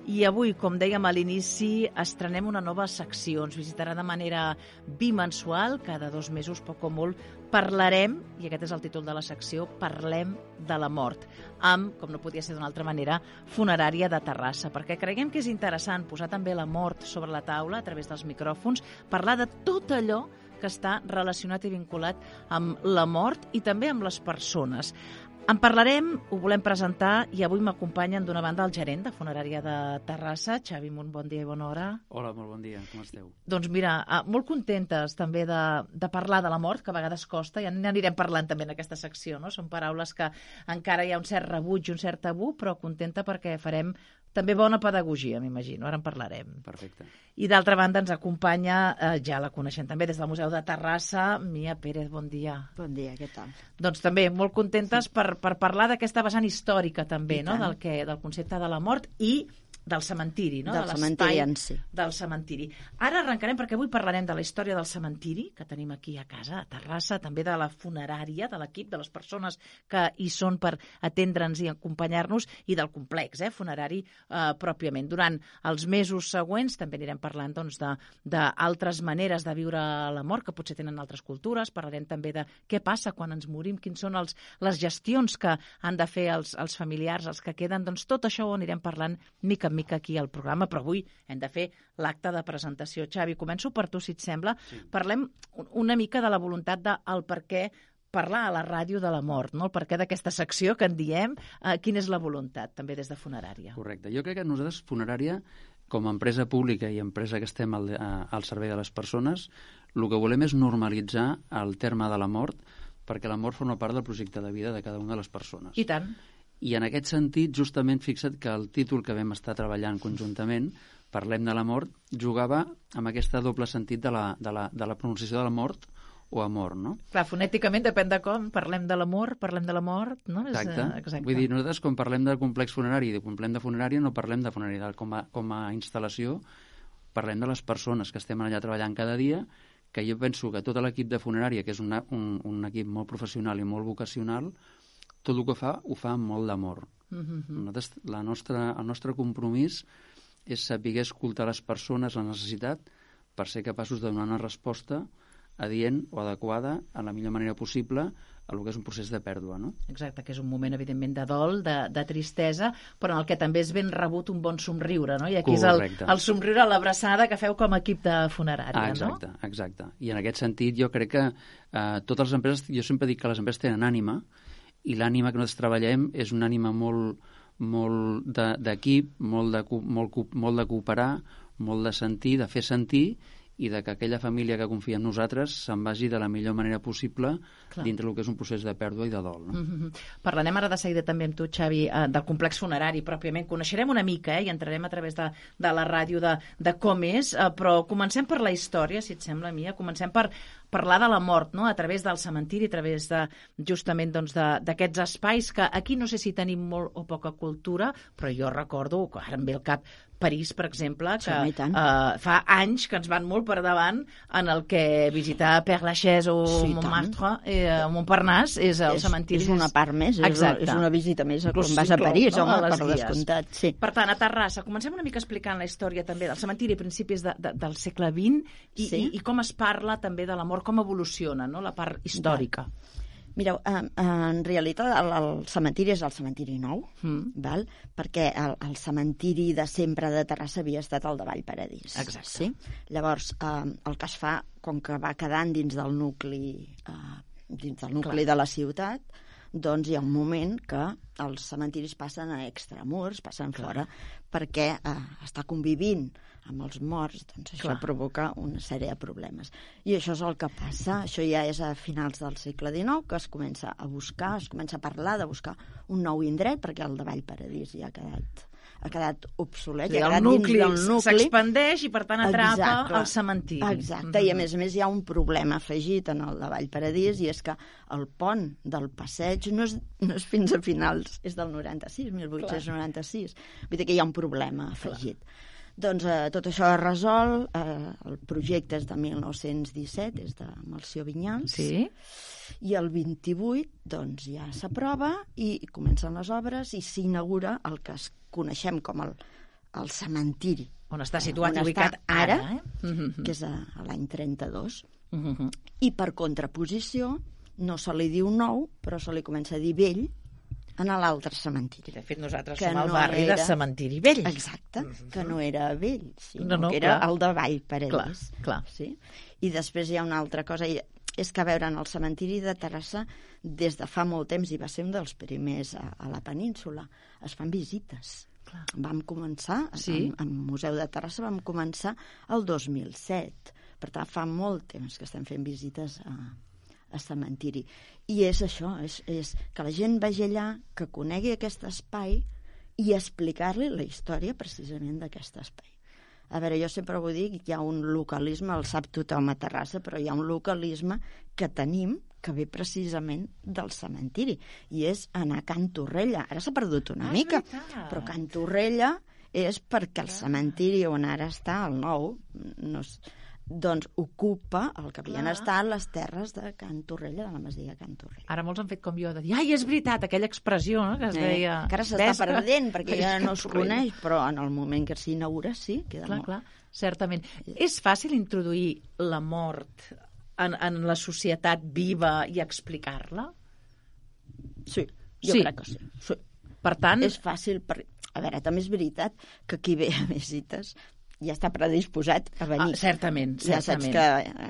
I avui, com dèiem a l'inici, estrenem una nova secció. Ens visitarà de manera bimensual, cada 2 mesos, poc o molt, parlarem, i aquest és el títol de la secció, Parlem de la mort, amb, com no podia ser d'una altra manera, Funerària de Terrassa, perquè creiem que és interessant posar també la mort sobre la taula a través dels micròfons, parlar de tot allò que està relacionat i vinculat amb la mort i també amb les persones. En parlarem, ho volem presentar, i avui m'acompanyen d'una banda el gerent de Funerària de Terrassa, Xavi Munt, bon dia i bona hora. Hola, molt bon dia, com esteu? Doncs mira, molt contentes també de parlar de la mort, que a vegades costa, i n'anirem parlant també en aquesta secció, no? Són paraules que encara hi ha un cert rebuig i un cert tabú, però contenta perquè farem també bona pedagogia, m'imagino, ara en parlarem. Perfecte. I d'altra banda ens acompanya, ja la coneixem també des del Museu de Terrassa, Mia Pérez, bon dia. Bon dia, què tal? Doncs també molt contentes per parlar d'aquesta vessant històrica també, no? Del concepte de la mort i del cementiri, no? Del cementiri en si. Del cementiri. Ara arrencarem perquè avui parlarem de la història del cementiri, que tenim aquí a casa, a Terrassa, també de la funerària, de l'equip, de les persones que hi són per atendre'ns i acompanyar-nos, i del complex funerari pròpiament. Durant els mesos següents també anirem parlant d'altres maneres de viure la mort, que potser tenen altres cultures. Parlarem també de què passa quan ens morim, quins són les gestions que han de fer els familiars, els que queden. Doncs tot això ho anirem parlant mica en mica aquí al programa, però avui hem de fer l'acte de presentació. Xavi, començo per tu, si et sembla. Sí. Parlem una mica de la voluntat del per què parlar a la ràdio de la mort, no? El per què d'aquesta secció que en diem, quina és la voluntat, també des de Funerària. Correcte. Jo crec que nosaltres, Funerària, com a empresa pública i empresa que estem al servei de les persones, el que volem és normalitzar el terme de la mort, perquè la mort forma part del projecte de vida de cada una de les persones. I tant. I en aquest sentit, justament, fixa't que el títol que vam estar treballant conjuntament, Parlem de la mort, jugava amb aquest doble sentit de la pronunciació de la mort o amor, no? Clar, fonèticament depèn de com, parlem de l'amor, parlem de la mort, no? Exacte. Vull dir, nosaltres quan parlem del complex funerari i parlem de funerària, no parlem de funerària. Com a instal·lació, parlem de les persones que estem allà treballant cada dia, que jo penso que tot l'equip de funerària, que és un equip molt professional i molt vocacional, tot el que fa, ho fa amb molt d'amor. Nosaltres, el nostre compromís és saber escoltar les persones, la necessitat, per ser capaços de donar una resposta adient o adequada en la millor manera possible a el que és un procés de pèrdua, no? Exacte, que és un moment, evidentment, de dol, de tristesa, però en el que també és ben rebut un bon somriure, no? I aquí correcte. És el somriure, l'abraçada que feu com a equip de funerària, exacte, no? Exacte. I en aquest sentit jo crec que totes les empreses, jo sempre dic que les empreses tenen ànima, i l'ànima que nosaltres treballem és una ànima molt d'equip, molt de cooperar, molt de sentir, de fer sentir, i de que aquella família que confia en nosaltres se'n vagi de la millor manera possible dintre del que és un procés de pèrdua i de dol. No? Parlarem ara de seguida també amb tu, Xavi, del complex funerari pròpiament. Coneixerem una mica i entrarem a través de la ràdio de com és, però comencem per la història, si et sembla, Mia. Comencem per parlar de la mort, no? A través del cementiri, a través justament d'aquests espais que aquí no sé si tenim molt o poca cultura, però jo recordo, ara em ve al cap París, per exemple, que fa anys que ens van molt per davant en el que visitar Père Lachaise o Montmartre, Montparnasse, és el cementiri. És una part més, és una visita més quan vas a París, home, per descomptat. Sí. Per tant, a Terrassa, comencem una mica explicant la història també del cementiri a principis del segle XX i com es parla també de la mort, com evoluciona, no?, la part històrica. Mireu, en realitat el cementiri és el cementiri nou, val? Perquè el cementiri de sempre de Terrassa havia estat el de Vallparadís. Exacte. Sí? Llavors, el que es fa, com que va quedant dins del nucli de la ciutat, doncs hi ha un moment que els cementiris passen a extramurs, passen fora, perquè està convivint amb els morts, doncs això provoca una sèrie de problemes. I això és el que passa, això ja és a finals del segle XIX, que es comença a buscar, es comença a parlar de buscar un nou indret, perquè el de Vallparadís ja ha quedat obsolet. Sí, el nucli s'expandeix i, per tant, atrapa el cementiri. Exacte, i a més hi ha un problema afegit en el de Vallparadís, i és que el pont del passeig no és fins a finals, és del 96, 1896. Vull dir que hi ha un problema afegit. Doncs tot això es resol, el projecte és de 1917, és de Melcior Vinyals, i el 28 doncs, ja s'aprova i comencen les obres i s'inaugura el que coneixem com el cementiri. On està situat i ubicat ara, que és a l'any 32. I per contraposició no se li diu nou, però se li comença a dir vell en l'altre cementiri. De fet, nosaltres som al barri de Cementiri Vell. Exacte, que no era vell, sinó que era el de Vall Paredes. Clar. Sí? I després hi ha una altra cosa, és que a veure, en el cementiri de Terrassa, des de fa molt temps, i va ser un dels primers a la península, es fan visites. Clar. Vam començar, al Museu de Terrassa vam començar el 2007. Per tant, fa molt temps que estem fent visites a cementiri. I és això, és que la gent vagi allà, que conegui aquest espai i explicar-li la història precisament d'aquest espai. A veure, jo sempre vull dir que hi ha un localisme, el sap tothom a Terrassa, però hi ha un localisme que tenim que ve precisament del cementiri, i és anar a Can Torrella. Ara s'ha perdut una mica, però Can Torrella és perquè el cementiri on ara està, el nou, doncs ocupa el que havien estat les terres de Can Torrella, de la masia Can Torrella. Ara molts han fet com jo, de dir, ai, és veritat, aquella expressió, no?, que es deia... Que ara s'està perdent, perquè ja no es coneix, però en el moment que s'inaugura, sí, queda molt. Clar, certament. És fàcil introduir la mort en la societat viva i explicar-la? Sí, jo crec que sí. Per tant... És fàcil, a veure, també és veritat que qui ve a visites ja està predisposat a venir. Certament. Ja saps que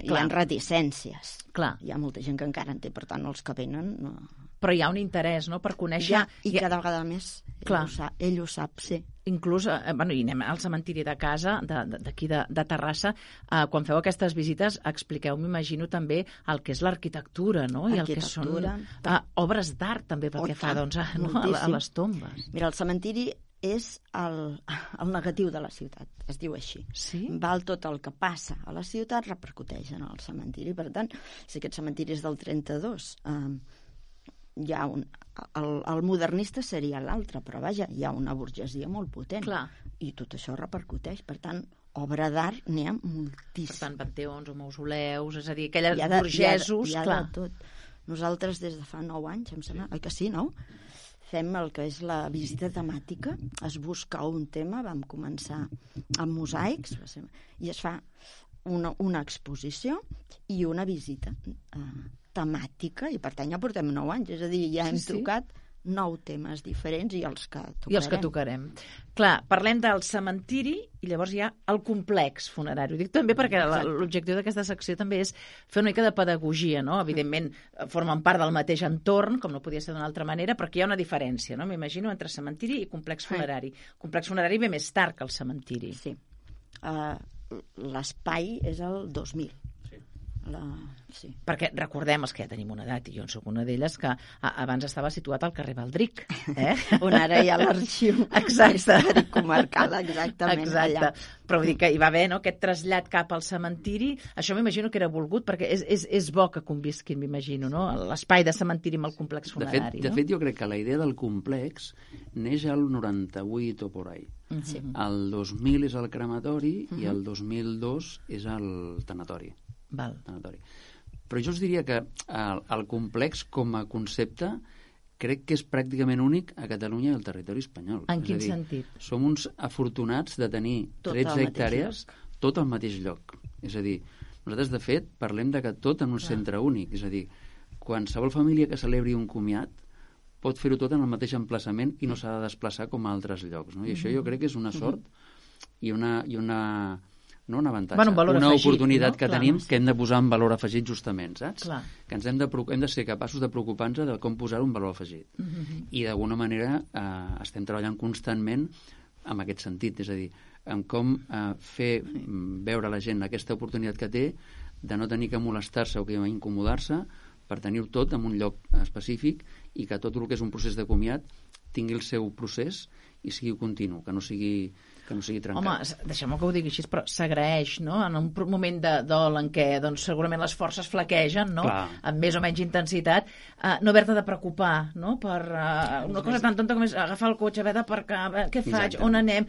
hi ha reticències. Clar. Hi ha molta gent que encara en té, per tant, els que venen... No... Però hi ha un interès, no?, per conèixer... I cada vegada més ell ho sap, sí. Inclús, i anem al cementiri de casa, d'aquí de Terrassa, quan feu aquestes visites, expliqueu, m'imagino, també el que és l'arquitectura, no?, i el que són obres d'art, també, pel que fa, doncs, a les tombes. Mira, el cementiri és el negatiu de la ciutat, es diu així. Sí? Val tot el que passa a la ciutat repercuteix en el cementiri. Per tant, si aquest cementiri és del 32, hi ha el modernista seria l'altre, però vaja, hi ha una burgesia molt potent. Clar. I tot això repercuteix. Per tant, obra d'art n'hi ha moltíssim. Per tant, panteons o mausoleus, és a dir, aquelles burgesos... Hi ha de tot. Nosaltres des de fa 9 anys, em sembla, oi que sí, no? Fem el que és la visita temàtica, es busca un tema, vam començar amb mosaics, i es fa una exposició i una visita temàtica, i per tant ja portem 9 anys, és a dir, ja hem tocat 9 temes diferents i els que tocarem. Clar, parlem del cementiri i llavors hi ha el complex funerari. Ho dic també perquè l'objectiu d'aquesta secció també és fer una mica de pedagogia, no? Evidentment, formen part del mateix entorn, com no podia ser d'una altra manera, però aquí hi ha una diferència, no? M'imagino, entre cementiri i complex funerari. Complex funerari ve més tard que el cementiri. Sí. L'espai és el 2000. Sí. Perquè recordem, els que ja tenim una edat, i jo en soc una d'elles, que abans estava situat al carrer Baldric, on ara hi ha l'arxiu històric comarcal, exactament. Exacte. Però vull dir que hi va haver aquest trasllat cap al cementiri, això m'imagino que era volgut, perquè és bo que convisquin, m'imagino, no? L'espai de cementiri amb el complex funerari. De fet, jo crec que la idea del complex neix al 98 o por ahí. Sí. El 2000 és el crematori i el 2002 és el tanatori. Però jo us diria que el complex com a concepte crec que és pràcticament únic a Catalunya i al territori espanyol. En quin sentit? Som uns afortunats de tenir 13 hectàrees tot al mateix lloc. És a dir, nosaltres de fet parlem de que tot en un centre únic. És a dir, qualsevol família que celebri un comiat pot fer-ho tot en el mateix emplaçament i no s'ha de desplaçar com a altres llocs. No? I això jo crec que és una sort i no un avantatge, una oportunitat que tenim que hem de posar en valor afegit justament, saps? Clar. Que hem de ser capaços de preocupar-nos de com posar un valor afegit. I d'alguna manera estem treballant constantment en aquest sentit, és a dir, en com fer veure a la gent aquesta oportunitat que té de no tenir que molestar-se o que incomodar-se per tenir-ho tot en un lloc específic i que tot el que és un procés de comiat tingui el seu procés i sigui continu, que no sigui trencat. Home, deixeu-me que ho digui així, però s'agraeix, no?, en un moment de dol en què doncs, segurament les forces flaquegen, no?, amb més o menys intensitat, no haver-te de preocupar, no?, per una cosa tan tonta com és agafar el cotxe, haver d'aparcar, què faig, on anem?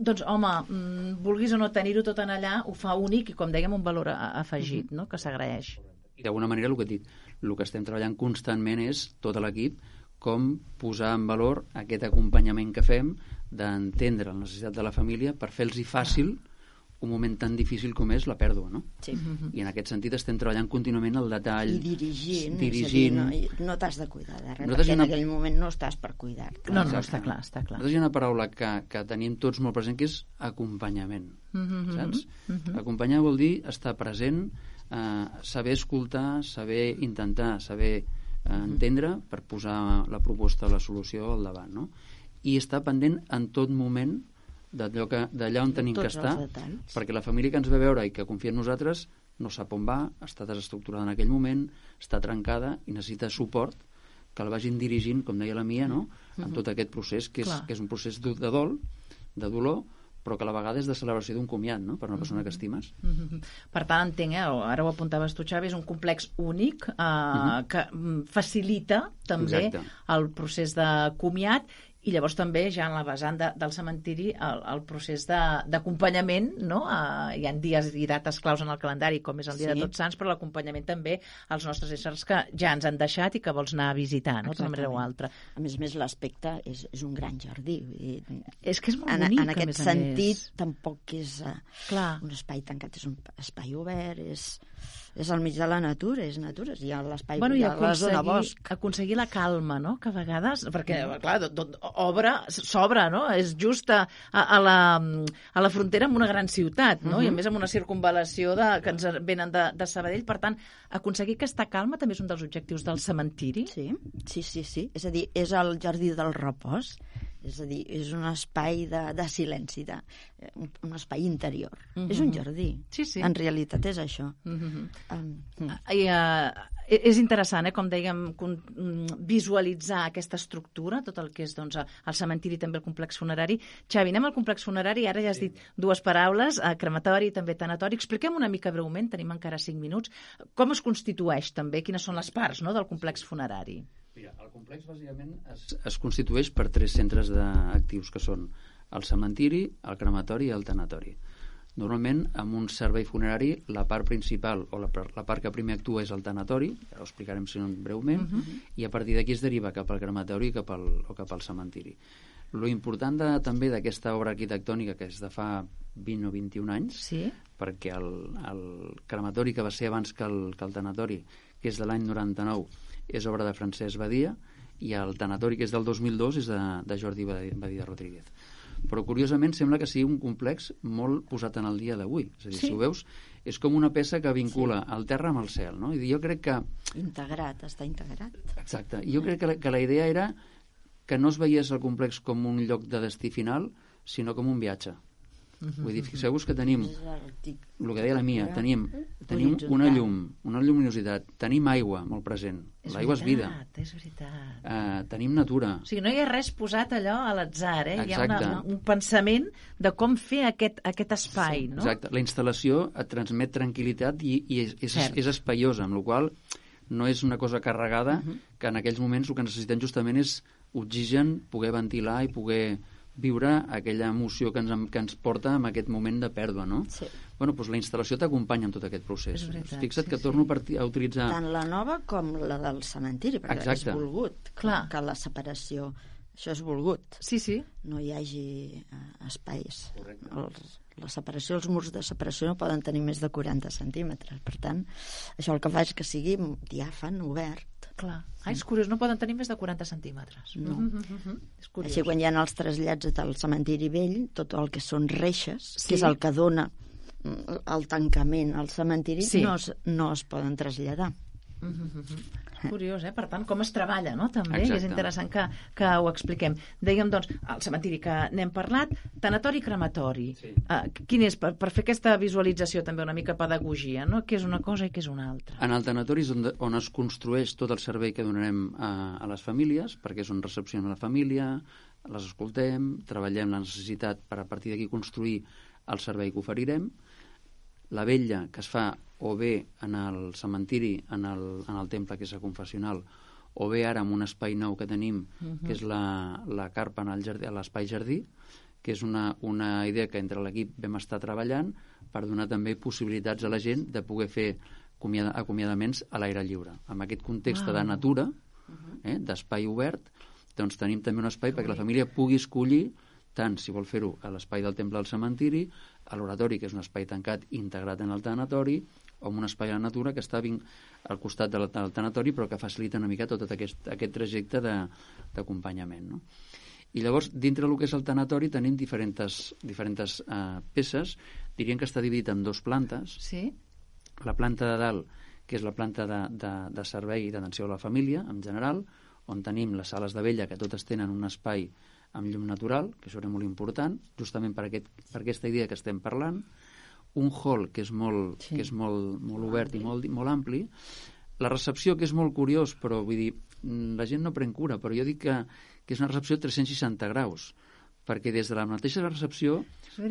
Doncs, home, vulguis o no tenir-ho tot en allà, ho fa únic i, com dèiem, un valor afegit, no?, que s'agraeix. I d'alguna manera el que estem treballant constantment és tot l'equip com posar en valor aquest acompanyament que fem d'entendre la necessitat de la família per fer-los fàcil un moment tan difícil com és la pèrdua, no? Sí. I en aquest sentit estem treballant contínuament el detall. I dirigint. No t'has de cuidar de res, perquè en aquell moment no estàs per cuidar-te. No, està clar. Nosaltres hi ha una paraula que tenim tots molt present, que és acompanyament, saps? Acompanyar vol dir estar present, saber escoltar, saber intentar, saber entendre per posar la proposta, la solució al davant, no? I estar pendent en tot moment d'allà on tenim que estar, perquè la família que ens ve a veure i que confia en nosaltres no sap on va, està desestructurada en aquell moment, està trencada i necessita suport, que el vagin dirigint, com deia la Mia, no? En tot aquest procés, que és un procés de dol, de dolor, però que a la vegada és de celebració d'un comiat, no?, per una persona que estimes. Per tant, entenc, ara ho apuntaves tu, Xavi, és un complex únic que facilita també el procés de comiat, i llavors també ja en la vessant del cementiri el procés d'acompanyament, no? Hi ha dies i dates claus en el calendari, com és el dia de Tots Sants, però l'acompanyament també als nostres éssers que ja ens han deixat i que vols anar a visitar, no?, d'una manera o altra. A més, l'aspecte és un gran jardí. És que és molt bonic, en aquest sentit, tampoc és un espai tancat, és un espai obert, és al mig de la natura, és natura, hi ha l'espai, hi ha la zona bosc. Aconseguir la calma, no?, que a vegades, perquè, clar, s'obre, no?, és just a la frontera amb una gran ciutat, no?, i a més amb una circunvalació que ens venen de Sabadell, per tant, aconseguir aquesta calma també és un dels objectius del cementiri. Sí, és a dir, és el jardí del repòs, és a dir, és un espai de silenci, un espai interior. És un jardí. En realitat és això. És interessant, com dèiem, visualitzar aquesta estructura, tot el que és el cementiri i també el complex funerari. Xavi, anem al complex funerari, ara ja has dit dues paraules, crematori i també tanatori. Expliquem una mica breument, tenim encara 5 minuts, com es constitueix també, quines són les parts del complex funerari. Mira, el complex bàsicament es constitueix per 3 centres actius, que són el cementiri, el crematori i el tanatori. Normalment, amb un servei funerari, la part principal o la part que primer actua és el tanatori, ara ho explicarem breument, i a partir d'aquí es deriva cap al crematori o cap al cementiri. Lo important també d'aquesta obra arquitectònica, que és de fa 20 o 21 anys, perquè el crematori, que va ser abans que el tanatori, que és de l'any 99, és obra de Francesc Badia, i el tanatori, que és del 2002, és de Jordi Badia Rodríguez. Però, curiosament, sembla que sigui un complex molt posat en el dia d'avui. És a dir, si ho veus, és com una peça que vincula el terra amb el cel, no? I jo crec que... Està integrat. Exacte. I jo crec que la idea era que no es veiés el complex com un lloc de destí final, sinó com un viatge. Vull dir, fixeu-vos que tenim, el que deia la Mia, tenim una llum, una lluminositat, tenim aigua molt present, l'aigua és vida. És veritat. Tenim natura. O sigui, no hi ha res posat allò a l'atzar, hi ha un pensament de com fer aquest espai, no? Exacte, la instal·lació et transmet tranquil·litat i és espaiosa, amb la qual no és una cosa carregada, que en aquells moments el que necessitem justament és oxigen, poder ventilar i poder viure aquella emoció que ens porta en aquest moment de pèrdua, no? Sí. Bueno, doncs la instal·lació t'acompanya en tot aquest procés. Fixa't que torno a utilitzar... Tant la nova com la del cementiri, perquè és volgut. Clar. Que la separació... Això és volgut. Sí. No hi hagi espais. La separació, els murs de separació no poden tenir més de 40 centímetres. Per tant, això el que fa és que sigui diàfan, obert. Clar. És curiós, no poden tenir més de 40 centímetres. No. És curiós. Així, quan hi ha els trasllats del cementiri vell, tot el que són reixes, que és el que dona el tancament al cementiri, no es poden traslladar. Curiós, Per tant, com es treballa, no? També és interessant que ho expliquem. Dèiem, doncs, el cementiri que n'hem parlat, tanatori i crematori. Quin és, per fer aquesta visualització també una mica pedagogia, no? Què és una cosa i què és una altra? En el tanatori és on es construeix tot el servei que donarem a les famílies, perquè és on recepcionem la família, les escoltem, treballem la necessitat per a partir d'aquí construir el servei que oferirem. La vetlla que es fa o bé en el cementiri, en el temple, que és el confessional, o bé ara en un espai nou que tenim, que és la carpa a l'espai jardí, que és una idea que entre l'equip vam estar treballant per donar també possibilitats a la gent de poder fer acomiadaments a l'aire lliure. En aquest context de natura, d'espai obert, doncs tenim també un espai perquè la família pugui escollir tant si vol fer-ho a l'espai del temple del cementiri, a l'oratori, que és un espai tancat integrat en el tanatori, o en un espai a la natura que està al costat del tanatori, però que facilita una mica tot aquest trajecte d'acompanyament, no? I llavors, dintre del que és el tanatori, tenim diferents peces. Diríem que està dividit en 2 plantes. Sí. La planta de dalt, que és la planta de servei i d'atenció a la família, en general, on tenim les sales de vella, que totes tenen un espai amb llum natural, que això era molt important, justament per aquesta idea que estem parlant, un hall que és molt obert i molt ampli, la recepció, que és molt curiós, però vull dir, la gent no pren cura, però jo dic que és una recepció 360 graus, perquè des de la mateixa recepció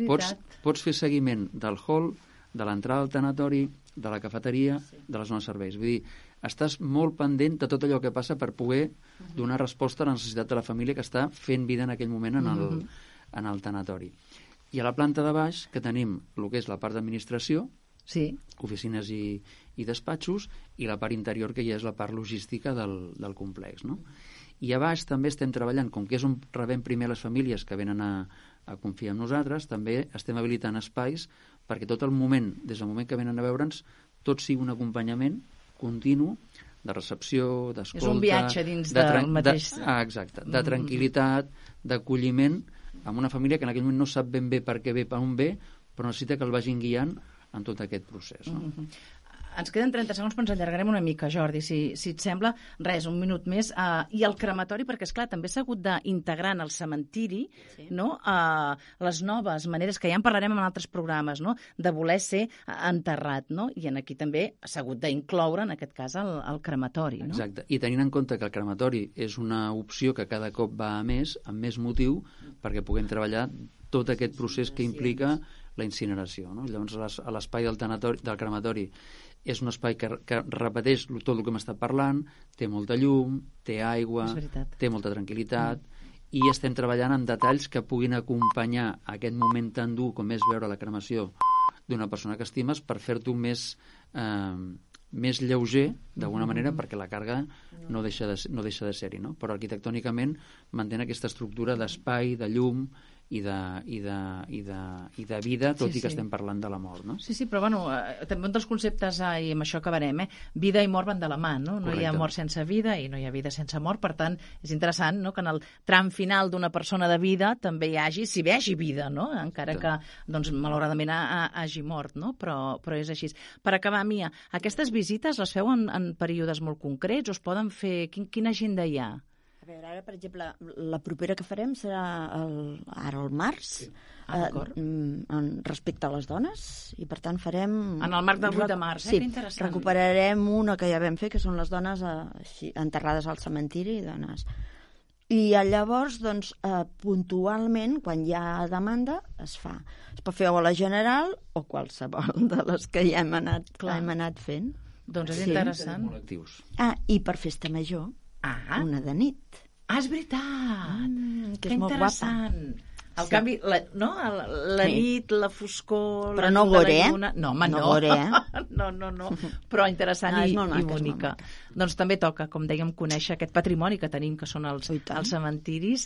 pots fer seguiment del hall, de l'entrada al tanatori, de la cafeteria, de la zona de serveis. Vull dir, estàs molt pendent de tot allò que passa per poder donar resposta a la necessitat de la família que està fent vida en aquell moment en el tanatori. I a la planta de baix, que tenim el que és la part d'administració, oficines i despatxos, i la part interior, que ja és la part logística del complex, no? I a baix també estem treballant, com que és on rebem primer les famílies que venen a confiar en nosaltres, també estem habilitant espais perquè tot el moment, des del moment que venen a veure'ns, tot sigui un acompanyament continu de recepció, d'escolta... És un viatge dins del mateix... Exacte, de tranquil·litat, d'acolliment, amb una família que en aquell moment no sap ben bé per què ve, per on ve, però necessita que el vagin guiant en tot aquest procés, no? Ens queden 30 segons, però ens allargarem una mica, Jordi, si et sembla. Res, un minut més. I el crematori, perquè, esclar, també s'ha hagut d'integrar en el cementiri, no? Les noves maneres, que ja en parlarem en altres programes, no? De voler ser enterrat, no? I aquí també s'ha hagut d'incloure, en aquest cas, el crematori, no? Exacte. I tenint en compte que el crematori és una opció que cada cop va a més, amb més motiu, perquè puguem treballar tot aquest procés que implica la incineració, no? Llavors, a l'espai del crematori és un espai que repeteix tot el que hem estat parlant, té molta llum, té aigua, té molta tranquil·litat, i estem treballant en detalls que puguin acompanyar aquest moment tan dur com és veure la cremació d'una persona que estimes, per fer-t'ho més lleuger, d'alguna manera, perquè la càrrega no deixa de ser-hi, no? Però arquitectònicament mantén aquesta estructura d'espai, de llum i de vida, tot i que estem parlant de la mort, no? Sí, però bueno, també un dels conceptes, i amb això acabarem, vida i mort van de la mà, no? No hi ha mort sense vida i no hi ha vida sense mort, per tant, és interessant, no?, que en el tram final d'una persona de vida també hi hagi, si bé hi hagi vida, no?, encara que, doncs, malauradament hagi mort, no?, però és així. Per acabar, Mia, aquestes visites les feu en períodes molt concrets o es poden fer? Quina agenda hi ha? A veure, ara, per exemple, la propera que farem serà ara al març, respecte a les dones, i per tant farem... En el marc del 8 de març, que interessant. Recuperarem una que ja vam fer, que són les dones enterrades al cementiri, dones. I llavors, doncs, puntualment, quan hi ha demanda, es fa. Es pot fer o a la general o qualsevol de les que ja hem anat fent. Doncs és interessant. I per festa major, una de nit. És veritat! Que és molt guapa. El canvi, la nit, la foscor... Però no gore, No, home, no. No. Però interessant i bonica. Doncs també toca, com dèiem, conèixer aquest patrimoni que tenim, que són els cementiris,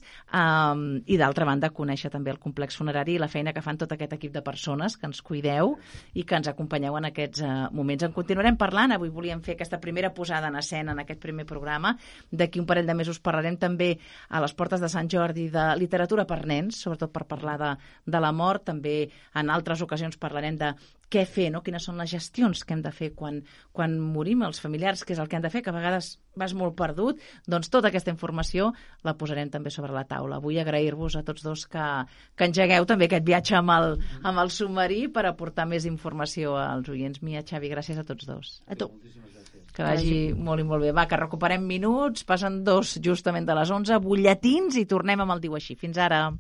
i d'altra banda conèixer també el complex funerari i la feina que fan tot aquest equip de persones que ens cuideu i que ens acompanyeu en aquests moments. En continuarem parlant. Avui volíem fer aquesta primera posada en escena en aquest primer programa. D'aquí un parell de mesos parlarem també a les portes de Sant Jordi de literatura per nens, sobretot per parlar de la mort. També en altres ocasions parlarem de què fer, no? Quines són les gestions que hem de fer quan morim, els familiars, què és el que han de fer, que a vegades vas molt perdut. Doncs tota aquesta informació la posarem també sobre la taula. Vull agrair-vos a tots dos que engegueu també aquest viatge amb el submarí per aportar més informació als oients. Mia, Xavi, gràcies a tots dos. A tu. Que vagi molt i molt bé. Va, que recuperem minuts, passen 2 justament de les 11, butlletins i tornem amb el Diu Així. Fins ara.